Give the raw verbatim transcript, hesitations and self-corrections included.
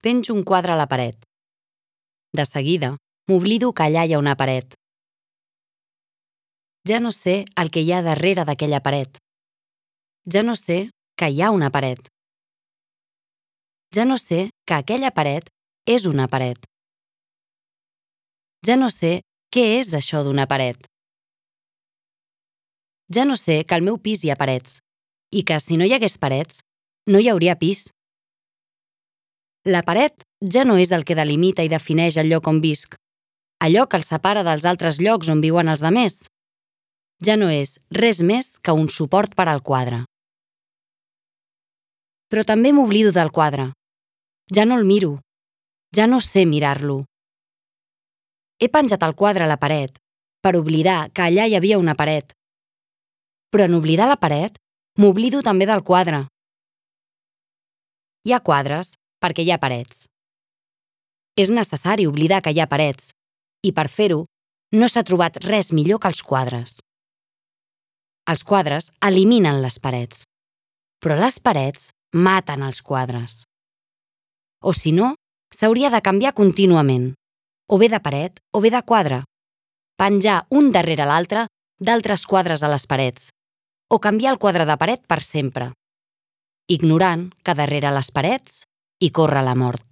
Penjo un quadre a la paret. De seguida, m'oblido que allà hi ha una paret. Ja no sé el que hi ha darrere d'aquella paret. Ja no sé que hi ha una paret. Ja no sé que aquella paret és una paret. Ja no sé què és això d'una paret. Ja no sé que al meu pis hi ha parets i que si no hi hagués parets, no hi hauria pis. La paret ja no és el que delimita i defineix el lloc on visc, allò que el separa dels altres llocs on viuen els demés. Ja no és res més que un suport per al quadre. Però també m'oblido del quadre. Ja no el miro. Ja no sé mirar-lo. He penjat el quadre a la paret per oblidar que allà hi havia una paret. Però en oblidar la paret, m'oblido també del quadre. Hi ha quadres perquè hi ha parets. És necessari oblidar que hi ha parets, i per fer-ho, no s'ha trobat res millor que els quadres. Els quadres eliminen les parets, però les parets maten els quadres. O si no, s'hauria de canviar contínuament, o bé de paret o bé de quadre, penjar un darrere l'altre d'altres quadres a les parets, o canviar el quadre de paret per sempre, ignorant que darrere les parets hi corre la mort.